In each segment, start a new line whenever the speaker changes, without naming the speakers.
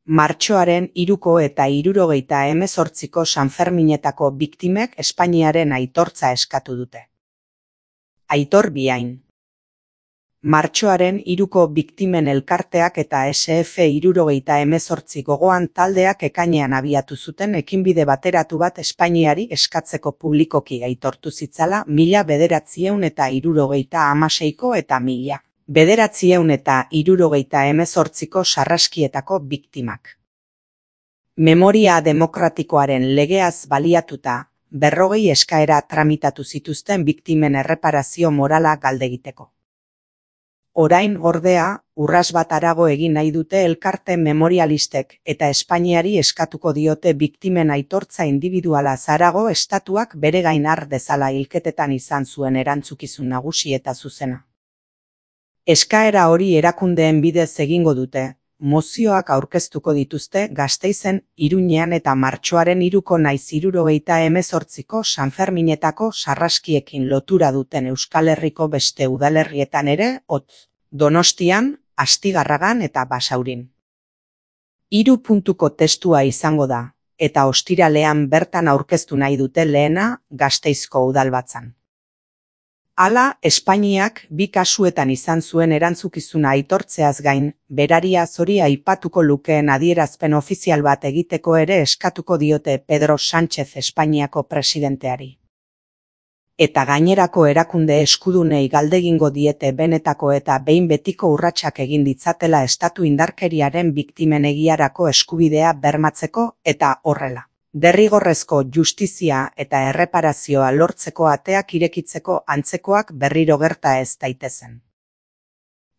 Martxoaren 3ko eta 78ko Sanferminetako biktimek Espainiaren aitortza eskatu dute. Aitor Biain. Martxoaren 3ko biktimen elkarteak eta SF78 gogoan taldeak ekainean abiatu zuten ekinbide bateratu bat Espainiari eskatzeko publikoki aitortu zitzala 1976ko eta 1978ko sarraskietako biktimak. Memoria demokratikoaren legeaz baliatuta, 40 eskaera tramitatu zituzten biktimen erreparazio morala galdegiteko. Orain ordea, urras bat harago egin nahi dute elkarte memorialistek eta Espainiari eskatuko diote biktimen aitortza indibiduala harago estatuak bere gain har dezala hilketetan izan zuen erantzukizun nagusi eta zuzena. Eskaera hori erakundeen bidez egingo dute, mozioak aurkeztuko dituzte Gasteizen, Iruñean eta martxoaren 3ko nahiz 78ko Sanferminetako sarraskiekin lotura duten Euskal Herriko beste udalerrietan ere, Donostian, Astigarragan eta Basaurin. 3 puntuko testua izango da, eta ostiralean bertan aurkeztu nahi dute lehena Gasteizko udalbatzan. Hala, Espainiak 2 kasuetan izan zuen erantzukizuna aitortzeaz gain, berariaz hori aipatuko lukeen adierazpen ofizial bat egiteko ere eskatuko diote Pedro Sánchez Espainiako presidenteari. Eta gainerako erakunde eskudunei galdegingo diete benetako eta behin betiko urratsak egin ditzatela estatu indarkeriaren biktimen egiarako eskubidea bermatzeko eta horrela. Derrigorrezko justizia eta erreparazioa lortzeko ateak irekitzeko antzekoak berriro gerta ez daitezen.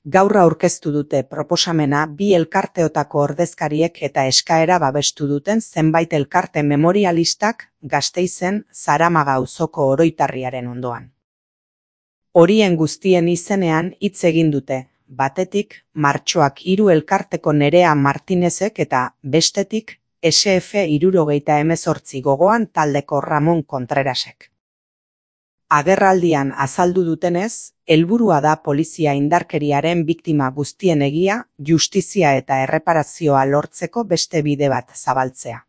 Gaur aurkeztu dute proposamena 2 elkarteotako ordezkariek eta eskaera babestu duten zenbait elkarte memorialistak Gasteizen Zaramaga auzoko oroitarriaren ondoan. Horien guztien izenean hitz egin dute, batetik Martxoak 3 elkarteko Nerea Martinezek eta bestetik SF78 gogoan taldeko Ramon Contrerasek. Agerraldian azaldu dutenez, helburua da polizia indarkeriaren biktima guztien egia, justizia eta erreparazioa lortzeko beste bide bat zabaltzea.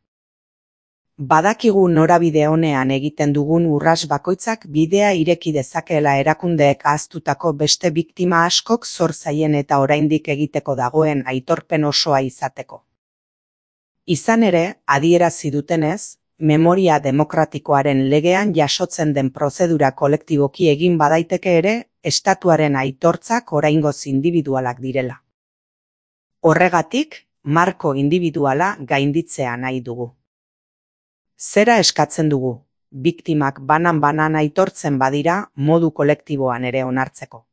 Badakigu norabide honean egiten dugun urras bakoitzak bidea ireki dezakeela erakundeek ahaztutako beste biktima askok zor zaien eta oraindik egiteko dagoen aitorpen osoa izateko. Izan ere, adierazi dutenez, memoria demokratikoaren legean jasotzen den prozedura kolektiboki egin badaiteke ere, estatuaren aitortzak oraingoz indibidualak direla. Horregatik, marko indibiduala gainditzea nahi dugu. Zera eskatzen dugu, biktimak banan-banan aitortzen badira modu kolektiboan ere onartzeko.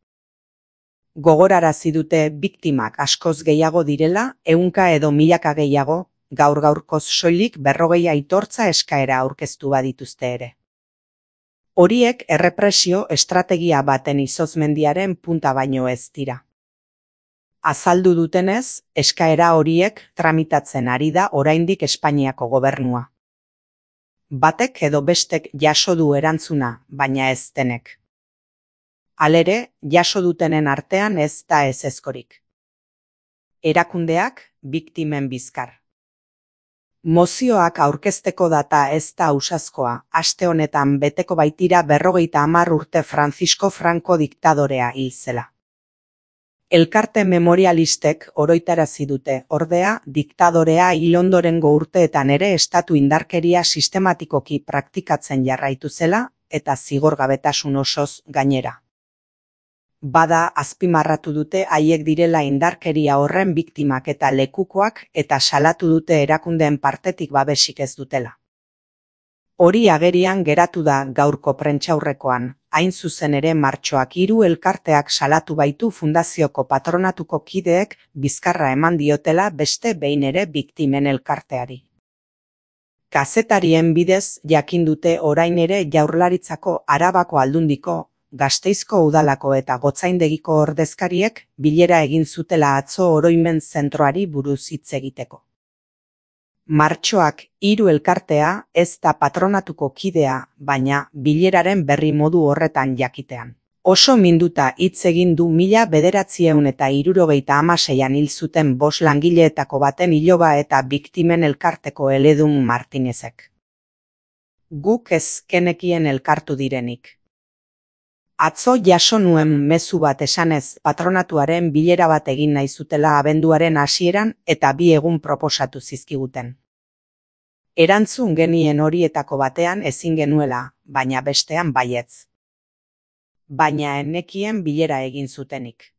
Gogorarazi dute biktimak askoz gehiago direla, 100 edo 1000 gehiago, gaur-gaurkoz soilik 40 aitortza eskaera aurkeztu badituzte ere. Horiek errepresio estrategia baten izozmendiaren punta baino ez dira. Azaldu dutenez, eskaera horiek tramitatzen ari da oraindik Espainiako gobernua. Batek edo bestek jaso du erantzuna, baina ez denek. Halere, jaso dutenen artean ez da ezezkorik. Erakundeak biktimen bizkar. Mozioak aurkezteko data ez da ausazkoa, aste honetan beteko baitira 50 urte Francisco Franco diktadorea hil zela. Elkarte memorialistek oroitarazi dute, ordea, diktadorea hil ondorengo urteetan ere estatu indarkeria sistematikoki praktikatzen jarraitu zela eta zigorgabetasun osoz gainera. Bada azpimarratu dute haiek direla indarkeria horren biktimak eta lekukoak eta salatu dute erakundeen partetik babesik ez dutela. Hori agerian geratu da gaurko prentsaurrekoan, hain zuzen ere Martxoak 3 elkarteak salatu baitu fundazioko patronatuko kideek bizkarra eman diotela beste behin ere biktimen elkarteari. Kazetarien bidez jakin dute orain ere Jaurlaritzako Arabako Aldundiko, Gasteizko udalako eta Gotzaindegiko ordezkariek bilera egin zutela atzo oroimen zentroari buruz hitz egiteko. Martxoak 3 elkartea ez da patronatuko kidea, baina bileraren berri modu horretan jakitean. Oso minduta hitz egin du 1976an hil zuten 5 langileetako baten iloba eta biktimen elkarteko eledun Martinezek. Guk ez genekien elkartu direnik. Atzo jaso nuen mezu bat esanez patronatuaren bilera bat egin nahi zutela abenduaren hasieran eta 2 egun proposatu zizkiguten. Erantzun genien horietako batean ezin genuela, baina bestean baietz. Baina ez nekien bilera egin zutenik.